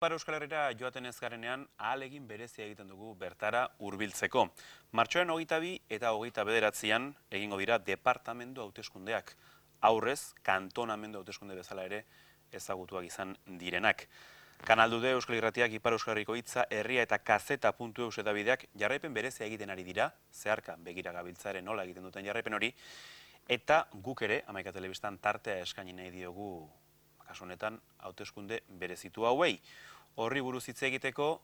Ipar Euskal Herrira joaten ez garenean ahalegin berezia egiten dugu bertara hurbiltzeko. Martxoaren 22 eta 29 egingo dira departamendu hauteskundeak. Aurrez, kantonamendu hauteskunde bezala ere ezagutuak izan direnak. Kanaldude Euskal Irratiak Ipar Euskal Herriko hitza, herria eta kazeta.eus eta bideak jarraipen berezia egiten ari dira, zeharka begira gabiltzaren nola egiten duten jarraipen hori, eta guk ere, Hamaika Telebistan tartea eskaini nahi diogu kasu honetan hauteskunde berezitu hauei. Horri buruz hitz egiteko,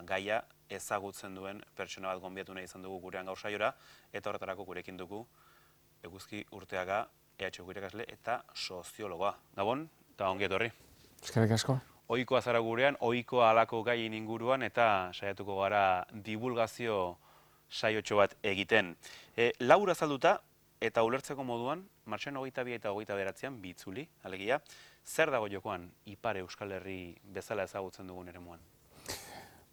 gaia ezagutzen duen pertsona bat gonbiatu nahi izan dugu gurean gaur saiora, eta horretarako gurekin dugu Eguzki Urteaga, EHko irakasle eta soziologoa. Gabon, eta ongi etorri. Eskerrik asko. Ohikoa zara gurean, ohikoa halako gaien inguruan eta saiatuko gara divulgazio saiotxo bat egiten. Laur azalduta eta ulertzeko moduan, martxoaren 22 eta 29 bitzuli, alegia, zer dago jokoan Ipar Euskal Herri bezala ezagutzen dugun eremuan?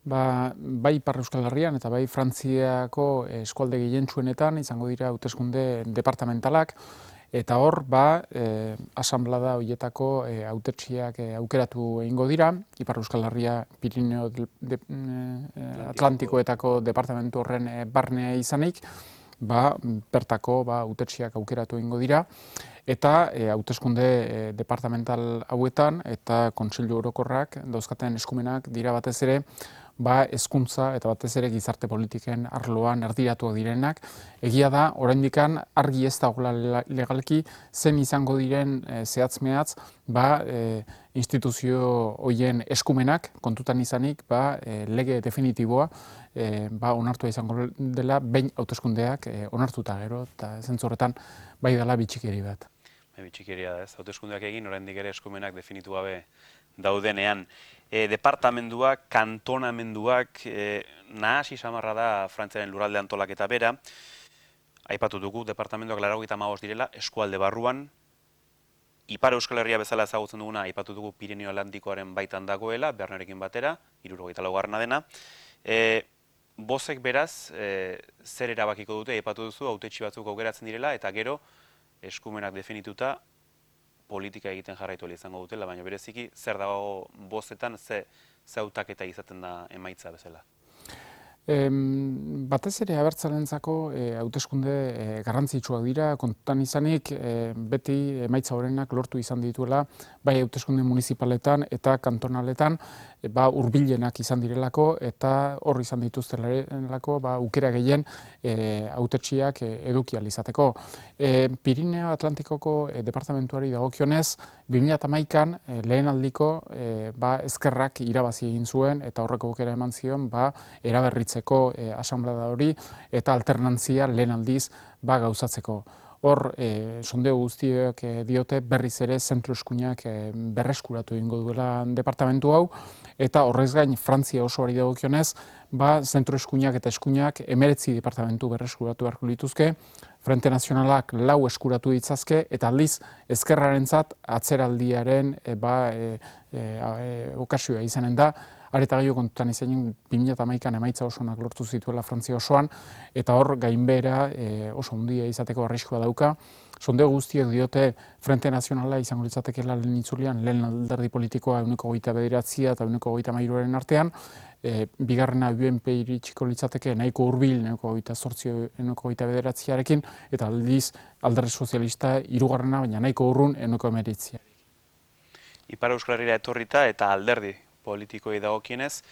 Bai Ipar Euskal Herrian eta bai Frantziako eskualde gehientsuenetan izango dira hauteskunde departamentalak, eta hor, asanblada horietako hautetsiak aukeratu egingo dira, Ipar Euskal Herria Pirineo Atlantikoetako departamentu horren barnea izanik, bertako hautetsiak aukeratu egingo dira, eta hauteskunde departamental hauetan eta Kontseilu Orokorrak dauzkaten eskumenak dira batez ere hezkuntza eta batez ere gizarte politiken arloan erdiratuak direnak. Egia da, oraindikan argi ez dagoela legalki zen izango diren zehatz-mehatz instituzio horien eskumenak kontutan izanik lege definitiboa onartua izango dela behin hauteskundeak onartuta gero, eta zentzu horretan bai dela bitxikeri bat. Bitxikeria da ez, hauteskundeak egin, oraindik ere eskumenak definitu gabe daudenean. Departamenduak, kantonamenduak, nahasi samarra da Frantziaren lurralde antolaketa bera. Aipatu dugu, departamenduak 95 direla, eskualde barruan. Ipar Euskal Herria bezala ezagutzen duguna, aipatu dugu Pirineo Atlantikoaren baitan dagoela, Bernarekin batera, 74. dena. Bozek beraz, zer erabakiko dute, aipatu duzu, hautetsi batzuk aukeratzen direla, eta gero, eskumenak definituta, politika egiten jarraitu izango dutela, baina bereziki, zer dago bozetan, ze hautaketa izaten da emaitza bezala? Batez ere abertzalentzako hauteskunde garrantzitsuak dira, kontutan izanik beti emaitza horenak lortu izan dituela, bai hauteskunde municipaletan eta kantonaletan hurbilenak izan direlako, eta hor izan dituztelako aukera gehien hautetsiak eduki ahal izateko. Pirineo Atlantikoko departamentuari dagokionez, 2011an lehen aldiko ezkerrak irabazi egin zuen, eta horreko aukera eman zion eraberritzeko asanblada hori eta alternantzia lehen aldiz gauzatzeko. Hor, sondeo guztiak diote berriz ere zentro eskuinak berreskuratu egingo duela departamentu hau, eta horrez gain Frantzia osoari dagokionez, zentro eskuinak eta eskuinak 19 departamentu berreskuratu beharko lituzke, Frente Nazionalak 4 eskuratu ditzazke, eta aldiz ezkerrarentzat atzeraldiaren okasioa izanen da. Areta gehiago kontutan izanen 2011an emaitza osonak lortu zituela Frantzia osoan, eta hor gainbehera oso handia izateko arriskua dauka. Sondeo guztiek diote Frente Nazionala izango litzatekeela lehen itzulian, lehen alderdi politikoa 29 eta 23 artean, bigarrena UNP iritsiko litzateke nahiko hurbil 29-arekin, eta aldiz alderdi sozialista hirugarrena, baina nahiko urrun 19. Ipar Euskal Herrira etorrita eta alderdi politikoi dagokienez,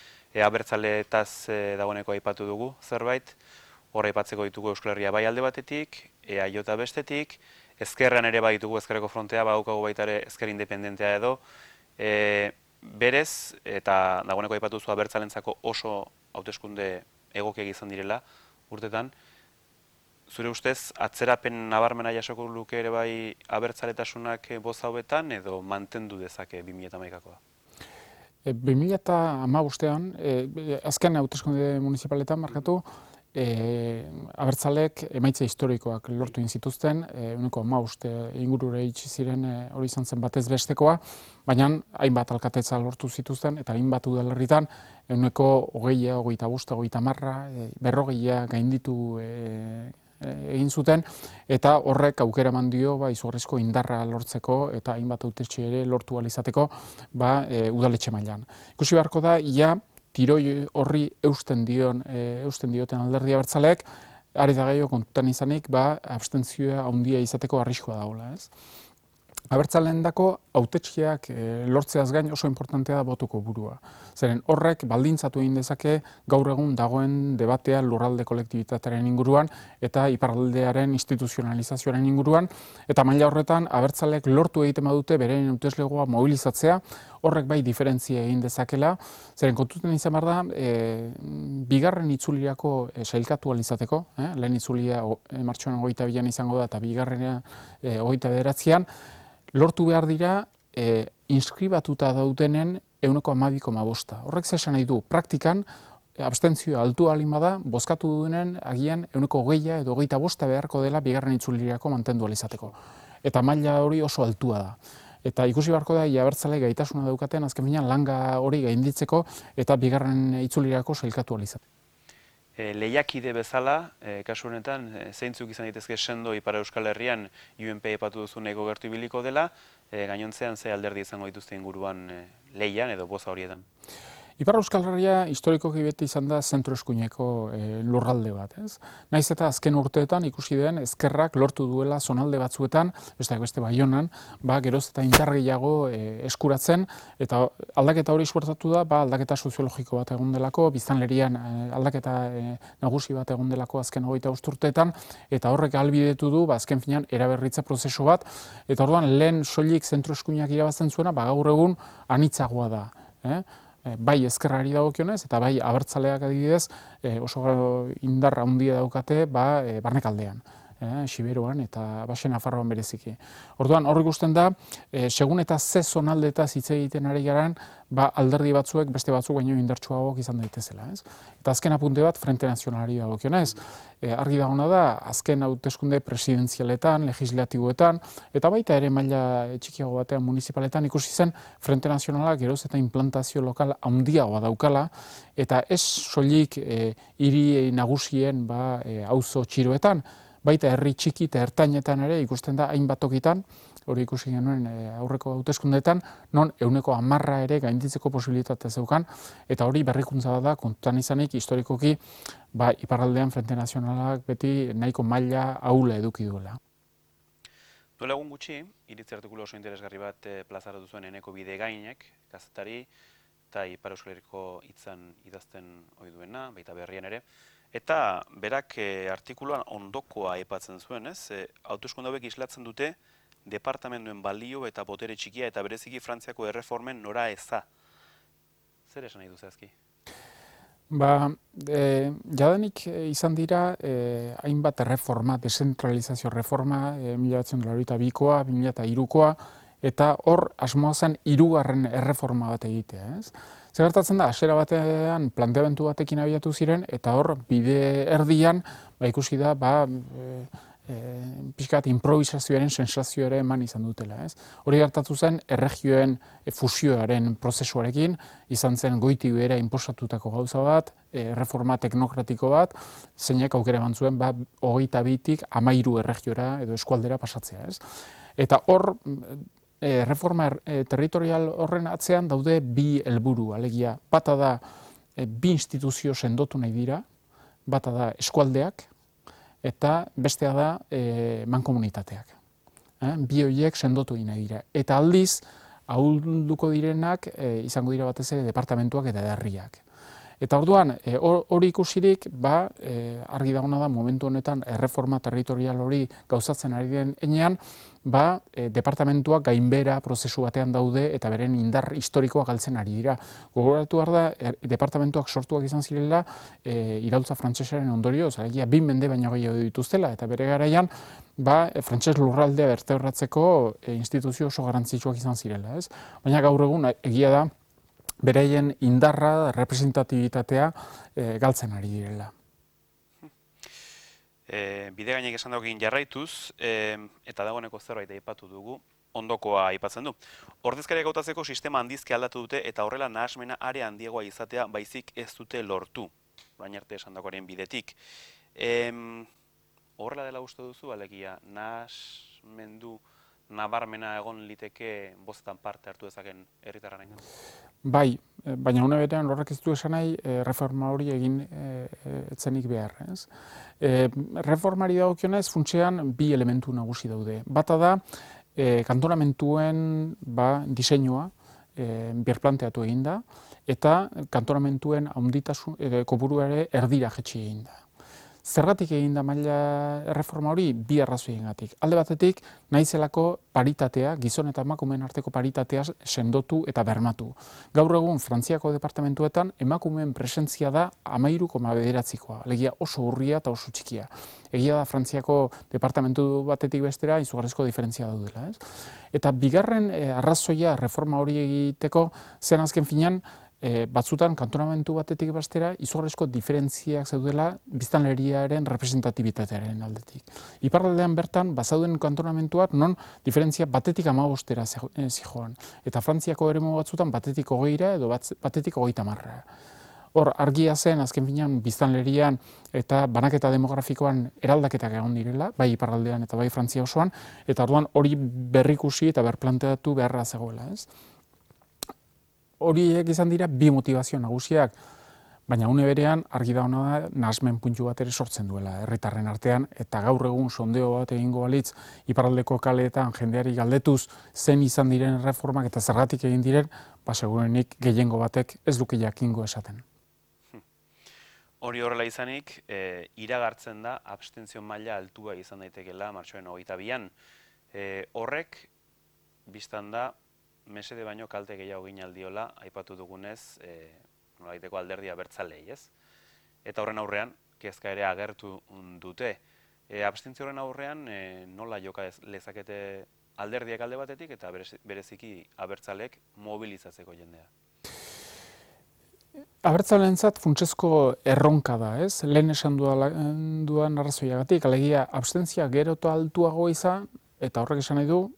abertzaleetaz dagoeneko aipatu dugu zerbait, hor aipatzeko ditugu Euskal Herria bai alde batetik, EAJ bestetik, ezkerran ere bai ditugu ezkerreko frontea, badaukagu baita ere ezker independentea edo, berez, eta dagoeneko aipatu zu abertzalentzako oso hauteskunde egokiak izan direla urtetan, zure ustez, atzerapen nabarmena jasoko luke ere bai abertzaletasunak boza hauetan edo mantendu dezake 2011koa? 2015an, azken hauteskunde municipaletan markatu, abertzalek emaitza historikoak lortu zituzten, 15 ingurure itxi ziren hori izan zen batez bestekoa, baina hainbat alkatetza lortu zituzten, eta hainbat udalerritan 20, 20, 25, 30, 40 gainditu egin zuten, eta horrek aukera eman dio izugarrizko indarra lortzeko eta hainbat hautetxe ere lortu ahal izateko udaletxe mailan. Ikusi beharko da, ia tiroi horri eusten dioten Alderdi Abertzaleek, ari da gehiago kontutan izanik, abstentzioa handia izateko arriskua dagoela, ez? Abertzaleendako hautetxeak lortzeaz gain oso importantea da boto kopurua. Zeren horrek baldintzatu egin dezake gaur egun dagoen debatea lurralde kolektibitatearen inguruan eta iparraldearen instituzionalizazioaren inguruan, eta maila horretan abertzaleek lortu egiten badute beren hauteslegoa mobilizatzea, horrek bai diferentzia egin dezakela, zeren kontuten izan behar da, bigarren itzulirako sailkatu ahal izateko, lehen itzulia martxoan 22an izango da eta bigarrena 29an, lortu behar dira inskribatuta daudenen 12,5%. Horrek zesan nahi du, praktikan, abstentzioa altu alin bada, bozkatu duenen agian 20 edo 25 beharko dela bigarren itzulirako mantendu ahal izateko. Eta maila hori oso altua da. Eta ikusi beharko da, abertzale gaitasuna daukaten, azken finean langa hori gainditzeko eta bigarren itzulirako sailkatu ahal izateko. Lehiakide bezala, kasu honetan, zeintzuk izan daitezke sendo Ipar Euskal Herrian UNP aipatu duzu nahiko gertu ibiliko dela, gainontzean ze alderdi izango dituzte inguruan lehian edo boza horietan? Ipar Euskal Herria historikoki beti izan da zentro eskuineko lurralde bat, ez? Naiz eta azken urteetan ikusi den ezkerrak lortu duela zonalde batzuetan, besteak beste Baionan, geroz eta indar gehiago eskuratzen, eta aldaketa hori suertatu da, aldaketa soziologiko bat egon delako, biztanlerian aldaketa nagusi bat egon delako azken 25 urteetan, eta horrek ahalbidetu du, azken finean eraberritze prozesu bat, eta orduan lehen soilik zentro eskuinak irabazten zuena, gaur egun anitzagoa da. Bai ezkerrari dagokionez eta bai abertzaleak adibidez oso indarra handia daukate barnekaldean, Siberuan eta Baxe Nafarroan bereziki. Orduan hor ikusten da, segun eta ze zonaldetaz hitz egiten ari garan, alderdi batzuek beste batzuk baino indartsuagoak izan daitezela, ez? Eta azken apunte bat Frente Nazionalari dagokionez, argi dagoena da azken hauteskunde presidenzialetan, legislatiboetan eta baita ere maila txikiago batean municipaletan ikusi zen Frente Nazionala geroz eta implantazio lokal handiagoa daukala eta ez soilik hiri nagusien auzo txiroetan, baita herri txiki eta ertainetan ere ikusten da hainbat tokitan, hori ikusi genuen aurreko hauteskundeetan, non 10% ere gainditzeko posibilitatea zeukan, eta hori berrikuntza da kontutan izanik historikoki iparraldean Frente Nazionalak beti nahiko maila ahula eduki duela. Duela egun gutxi, iritzi artikulu oso interesgarri bat plazaratu zuen Eneko Bidegainek, kazetari, eta Ipar Euskal Herriko hitzan idazten ohi duena, baita berrian ere, eta berak artikuluan ondokoa aipatzen zuen, ez? Hauteskunde hauek islatzen dute departamenduen balio eta botere txikia eta bereziki Frantziako erreformen nora eza. Zer esan nahi du zehazki? Jadanik izan dira hainbat erreforma, dezentralizazio reforma, 1982koa, 2003koa, eta hor asmoa zen 3. erreforma bat egitea, ez? Zer gertatzen da, hasiera batean planteamendu batekin abiatu ziren, eta hor bide erdian ikusi da pixkat improvisazioaren sensazioa ere eman izan dutela, ez? Hori gertatu zen erregioen fusioaren prozesuarekin, izan zen goitik behera inposatutako gauza bat, reforma teknokratiko bat, zeinek aukera eman zuen 22tik 13 erregiora edo eskualdera pasatzea, ez? Eta hor reforma territorial horren atzean daude bi helburu, alegia, bata da bi instituzio sendotu nahi dira, bata da eskualdeak, eta bestea da mankomunitateak. Bi horiek sendotu egin nahi dira. Eta aldiz, ahulduko direnak izango dira batez ere departamentuak eta herriak. Eta orduan, hori ikusirik, argi dagoena da momentu honetan erreforma territorial hori gauzatzen ari den enean, departamentuak gainbera prozesu batean daude eta beren indar historikoa galtzen ari dira. Gogoratu behar da, departamentuak sortuak izan zirela iraultza frantsesaren ondorioz, alegia 2 mende baino gehiago dituztela, eta bere garaian, frantses lurraldea bertebratzeko instituzio oso garrantzitsuak izan zirela, ez? Baina gaur egun egia da, beraien indarra, representatibitatea galtzen ari direla. Bidegainek esan daukin jarraituz, eta dagoeneko zerbait aipatu dugu, ondokoa aipatzen du. Ordezkariak hautatzeko sistema handizki aldatu dute eta horrela nahasmena are handiagoa izatea baizik ez dute lortu, baina arte esan dagoaren bidetik. horrela dela uste duzu, alegia nahasmendu nabarmena egon liteke bozetan parte hartu dezaken herritarrarengan? Bai, baina une berean horrek ez du esan nahi reforma hori egin etzenik behar. Ez? Reformari dagokionez funtsean bi elementu nagusi daude. Bata da, kantonamentuen diseinua birplanteatu egin da, eta kantonamentuen kopurua ere erdira jetxi egin da. Zergatik egin da maila erreforma hori? Bi arrazoiengatik. Alde batetik, naizelako paritatea, gizon eta emakumeen arteko paritatea sendotu eta bermatu. Gaur egun Frantziako departamentuetan emakumeen presentzia da 13,9koa, alegia oso urria eta oso txikia. Egia da Frantziako departamentu batetik bestera izugarrizko diferentzia daudela. Ez? Eta bigarren arrazoia reforma hori egiteko zen azken finean, batzutan kantonamentu batetik bestera izugarrizko diferentziak zeudela biztanleriaren representatibitatearen aldetik. Iparraldean bertan bazauden kantonamentuak non diferentzia batetik 15era zijoan. Eta Frantziako eremu batzutan batetik 20 edo batetik 30. Hor, argia zen azken finean biztanlerian eta banaketa demografikoan eraldaketak egon direla, bai iparraldean eta bai Frantzia osoan, eta orduan hori berrikusi eta berplanteatu beharra zegoela, ez? Horiek izan dira bi motivazio nagusiak, baina une berean argi da ona da nahasmen puntu bat ere sortzen duela herritarren artean, eta gaur egun sondeo bat egingo balitz iparraldeko kaleetan jendeari galdetuz zen izan diren reformak eta zergatik egin diren, segurenik gehiengo batek ez duke jakingo esaten. Hori horrela izanik, iragartzen da abstentzio maila altua izan daitekeela martxoaren 22an. Horrek, biztan da, mesede baino kalte gehiago egin aldiola, aipatu dugunez, nolaiteko alderdi abertzalei, ez? Eta horren aurrean, kezka ere agertu dute. Abstentzio horren aurrean, nola joka lezakete alderdiak alde batetik eta bereziki abertzalek mobilizatzeko jendea? Abertzaleentzat funtsezko erronka da, ez? Lehen esan duan arrazoiagatik, alegia abstentzia gero eta altuago izan, eta horrek esan nahi du,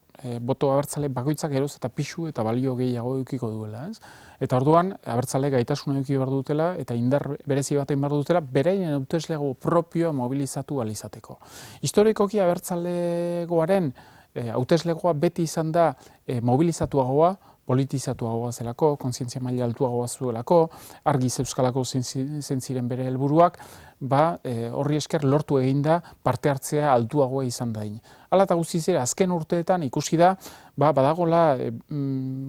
boto abertzale bakoitzak geroz eta pixu eta balio gehiago edukiko duela. Ez? Eta orduan, abertzale gaitasuna eduki behar dutela eta indar berezi bat egin behar dutela, beraien hauteslego propioa mobilizatu ahal izateko. Historikoki abertzalegoaren hauteslegoa beti izan da mobilizatuagoa, politizatuagoa zelako, kontzientzia maila altuagoa zuelako, argi zeuzkalako ziren bere helburuak, horri esker lortu eginda parte hartzea altuagoa izan dain. Hala eta guztiz ere, azken urteetan ikusi da, badagola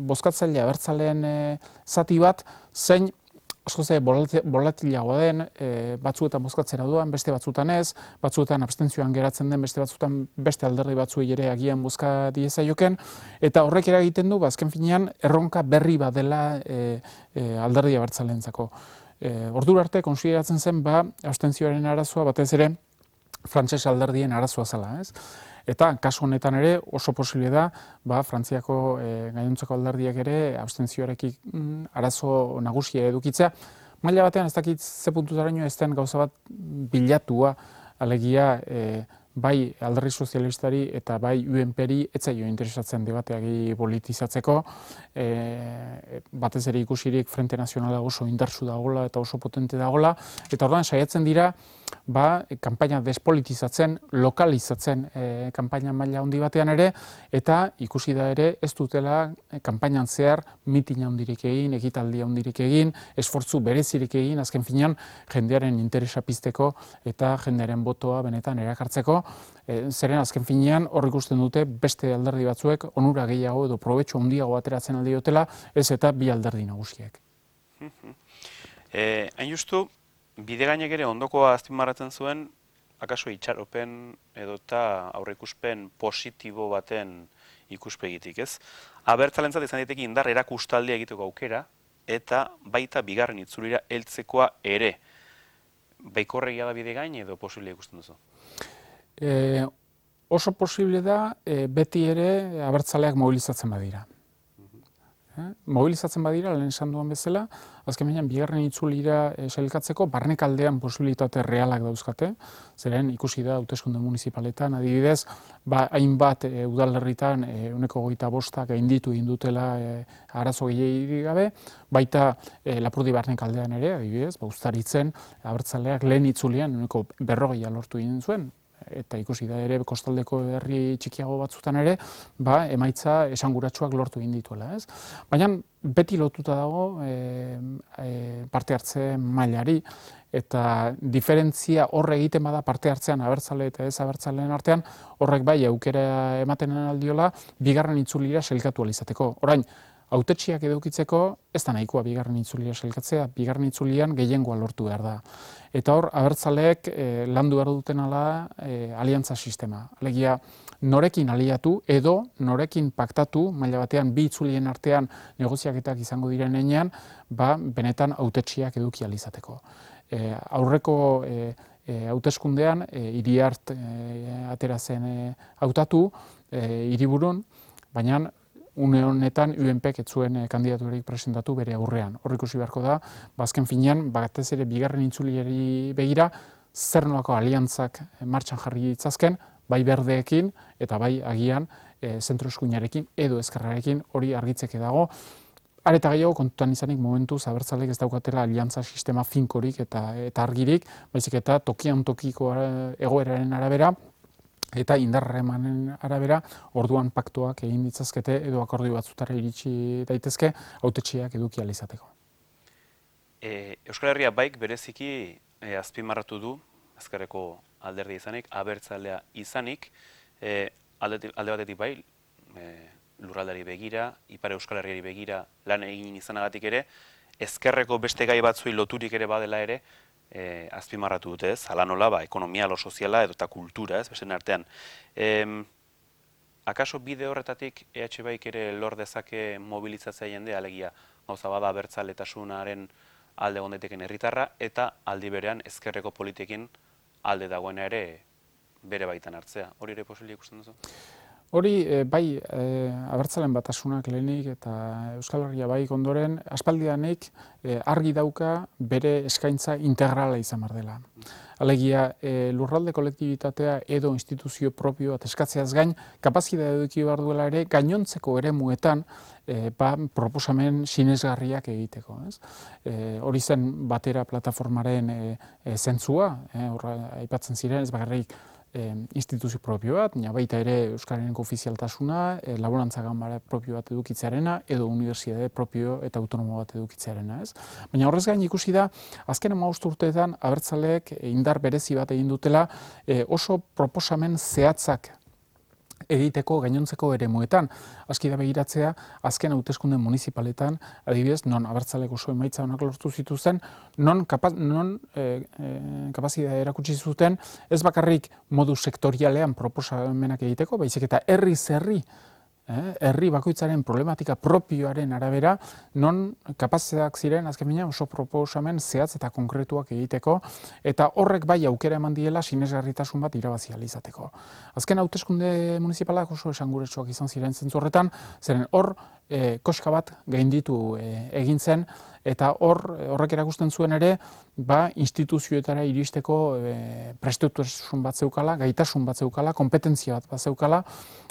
bozkatzaile abertzaleen zati bat, zein askoz bolatilagoa den, batzuetan bozkatzera doan, beste batzuetan ez, batzuetan abstentzioan geratzen den, beste batzuetan beste alderdi batzuei ere agian bozka diezaioken, eta horrek eragiten du, azken finean, erronka berri bat dela alderdi abertzaleentzako. Ordura arte, konsideratzen zen, abstentzioaren arazoa batez ere, frantses alderdien arazoa zela, ez? Eta kasu honetan ere oso posible da, Frantziako gainontzeko alderdiak ere abstentzioarekin arazo nagusia edukitzea. Maila batean ez dakit ze puntutaraino ez den gauza bat bilatua, alegia bai alderdi sozialistari eta bai UNPri ez zaio interesatzen debateagi politizatzeko, batez ere ikusirik Frente Nazionala oso indartsu dagoela eta oso potente dagoela, eta orduan saiatzen dira kanpaina despolitizatzen, lokalizatzen kanpaina maila handi batean ere, eta ikusi da ere ez dutela kanpainan zehar mitin handirik egin, ekitaldi handirik egin, esfortzu berezirik egin, azken finean jendearen interesa pizteko eta jendearen botoa benetan erakartzeko, zeren azken finean hor ikusten dute beste alderdi batzuek onura gehiago edo probetxu handiago ateratzen aldi dutela, ez eta bi alderdi nagusiek. Hain justu, Bidegainek ere ondokoa azpimarratzen zuen, akaso itxaropen edo eta aurreikuspen positibo baten ikuspegitik, ez? Abertzalentzat izan daiteke indar erakustaldia egiteko aukera, eta baita bigarren itzulira heltzekoa ere. Baikorregia da Bidegain edo posible ikusten duzu? Oso posible da beti ere abertzaleak mobilizatzen badira. Mobilizatzen badira, lehen esan duan bezala, azken baina bigarren itzulira sailkatzeko barnekaldean posibilitate realak dauzkate, zeren ikusi da hauteskunde municipaletan, adibidez, hainbat udalerritan 25% gainditu egin dutela arazo gehiagirik gabe, baita Lapurdi barnekaldean ere, adibidez, Uztaritzen abertzaleak lehen itzulian 40% lortu egin zuen, eta ikusi da ere kostaldeko herri txikiago batzutan ere, emaitza esanguratsuak lortu egin dituela, ez? Baina beti lotuta dago parte hartze mailari, eta diferentzia horre egiten bada parte hartzean abertzale eta ez abertzaleen artean, horrek bai aukera ematen aldiola bigarren itzulira sailkatu ahal izateko. Orain, hautetsiak edukitzeko ez da nahikoa bigarren itzulira sailkatzea, bigarren itzulian gehiengoa lortu behar da. Eta hor, abertzaleek landu behar duten ala aliantza sistema. Alegia, norekin aliatu edo norekin paktatu, maila batean bi itzulien artean negoziaketak izango diren heinean, benetan hautetsiak eduki ahal izateko. Aurreko hauteskundean Iriart atera zen hautatu hiriburun, baina une honetan UNPek ez zuen kandidaturik presentatu bere aurrean. Hor ikusi beharko da, azken finean, batez ere bigarren itzuliari begira, zer nolako aliantzak martxan jarri ditzazken, bai berdeekin eta bai agian zentro eskuinarekin edo ezkerrarekin hori argitzeke dago. Areta gehiago kontutan izanik momentuz abertzaleek ez daukatela aliantza sistema finkorik eta argirik, baizik eta tokian tokiko egoeraren arabera eta indarremanen arabera orduan paktuak egin ditzazkete edo akordio batzutara iritsi daitezke hautetsiak eduki ahal izateko. Euskal Herria baik bereziki azpimarratu du, ezkerreko alderdi izanik, abertzalea izanik, alde batetik bai, lurraldari begira, Ipar Euskal Herriari begira lan egin izanagatik ere, ezkerreko beste gai batzuei loturik ere badela ere, azpimarratu dute, ez, hala nola, ekonomia, lo soziala edo eta kultura, ez, beste artean. Akaso bide horretatik EH Baik ere lor dezake mobilizatzea jende, alegia gauza bada abertzaletasunaren alde gondeteken herritarra, eta aldi berean ezkerreko politikin alde dagoena ere bere baitan hartzea. Hori ere posible ikusten duzu? Hori, bai, abertzalen batasunak lehenik eta Euskal Herria Baik ondoren, aspaldianik argi dauka bere eskaintza integrala izan behar dela. Alegia, lurralde kolektibitatea edo instituzio propio bat eskatzeaz gain, kapazitatea eduki behar duela ere, gainontzeko eremuetan proposamen sinesgarriak egiteko. Hori zen batera plataformaren zentzua, aipatzen ziren, ez bakarrik instituzio propio bat, baita ere Euskarareneko ofizialtasuna, laborantza ganbara propio bat edukitzearena, edo unibertsitate propio eta autonomo bat edukitzearena. Baina horrez gain ikusi da, azken 15 urteetan abertzaleek indar berezi bat egin dutela oso proposamen zehatzak egiteko gainontzeko eremuetan. Aski da begiratzea, azken hauteskunde municipaletan, adibidez, non abertzalek oso emaitza honak lortu zituzten, non kapazitatea erakutsi zuten, ez bakarrik modu sektorialean proposamenak egiteko, baizik eta herri bakoitzaren problematika propioaren arabera, non kapazitateak ziren, azken baina oso proposamen zehatz eta konkretuak egiteko, eta horrek bai aukera eman diela sinesgarritasun bat irabazi ahal izateko. Azken hauteskunde municipalak oso esanguratsuak izan ziren zentzu horretan, zeren hor koska bat gainditu egin zen, eta horrek erakusten zuen ere, instituzioetara iristeko prestutasun bat zeukala, gaitasun bat zeukala, kompetentzia bat zeukala,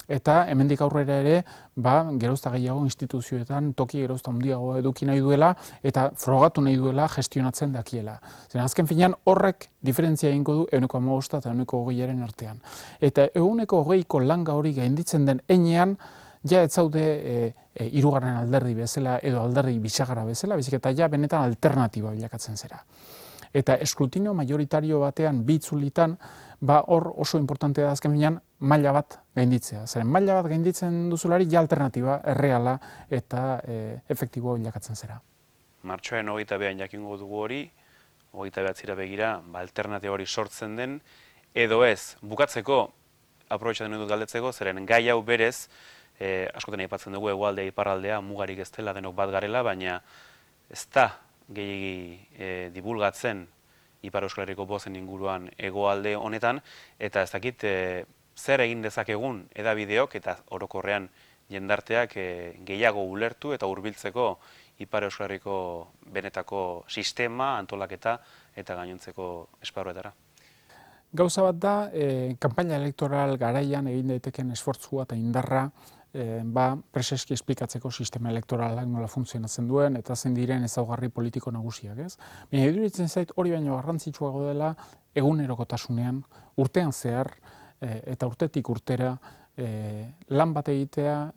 eta hemendik aurrera ere, gerozta gehiago instituzioetan toki gerozta handiago eduki nahi duela, eta frogatu nahi duela gestionatzen dakiela. Zeren azken finean horrek diferentzia egingo du 15 eta 20 artean. Eta 20ko langa hori gainditzen den heinean, ja ez zaude hirugarren alderdi bezala edo alderdi bisagarra bezala, baizik eta ja benetan alternatiba bilakatzen zera. Eta eskrutino majoritario batean bi itzulitan, hor oso importantea da azken finean maila bat gainditzea. Zeren maila bat gainditzen duzulari ja alternatiba erreala eta efektiboa bilakatzen zera. Martxoaren 22an jakingo dugu hori, 29 begira, alternatiba hori sortzen den, edo ez, bukatzeko, aprobetxatzen dut galdetzeko, zeren gai hau berez, askotan aipatzen dugu hegoaldea iparraldea mugarik ez dela denok bat garela, baina ez da gehiegi dibulgatzen Ipar Euskal Herriko bozen inguruan hegoalde honetan, eta ez dakit zer egin dezakegun edabideok eta orokorrean jendarteak gehiago ulertu eta hurbiltzeko Ipar Euskal Herriko benetako sistema, antolaketa eta gainontzeko esparruetara. Gauza bat da, kanpaina elektoral garaian egin daiteken esfortzua eta indarra preseski esplikatzeko sistema elektoralak nola funtzionatzen duen eta zein diren ezaugarri politiko nagusiak, ez? Baina iruditzen zait hori baino garrantzitsuago dela egunerokotasunean, urtean zehar eta urtetik urtera lan bat egitea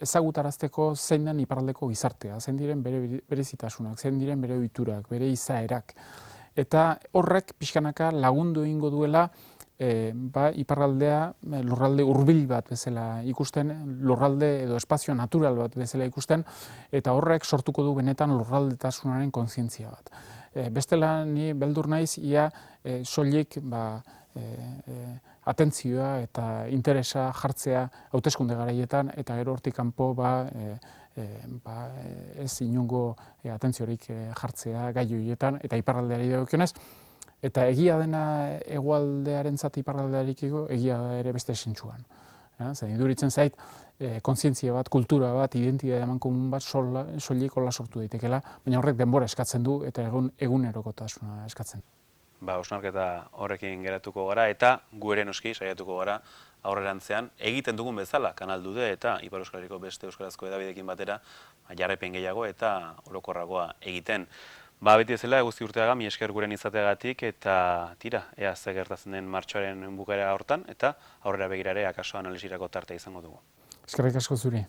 ezagutarazteko zein den iparraldeko gizartea, zein diren bere berezitasunak, zein diren bere ohiturak, bere izaerak. Eta horrek pixkanaka lagundu egingo duela iparraldea lurralde hurbil bat bezala ikusten, lurralde edo espazio natural bat bezala ikusten, eta horrek sortuko du benetan lurraldetasunaren kontzientzia bat. Bestela ni beldur naiz ia soilik atentzioa eta interesa jartzea hauteskunde garaietan eta gero hortik kanpo ez inongo atentziorik jartzea gai horietan eta iparraldeari dagokionez. Eta egia dena hegoaldearentzat iparraldearekiko egia da ere beste zentzuan. Zer iduritzen zait kontzientzia bat, kultura bat, identitate amankomun bat soilik hola sortu daitekeela, baina horrek denbora eskatzen du eta egunerokotasuna eskatzen. Hausnarketa horrekin geratuko gara eta gu ere noski saiatuko gara aurrerantzean egiten dugun bezala Kanal Dude eta Ipar Euskal Herriko beste euskarazko hedabideekin batera jarraipen gehiago eta orokorragoa egiten. Beti ezela, guzti urteaga, mi esker guren izateagatik eta tira, ea ze gertatzen den martxoaren bukaera hortan eta aurrera begirare akaso analisirako tartea izango dugu. Eskerrik asko zuri.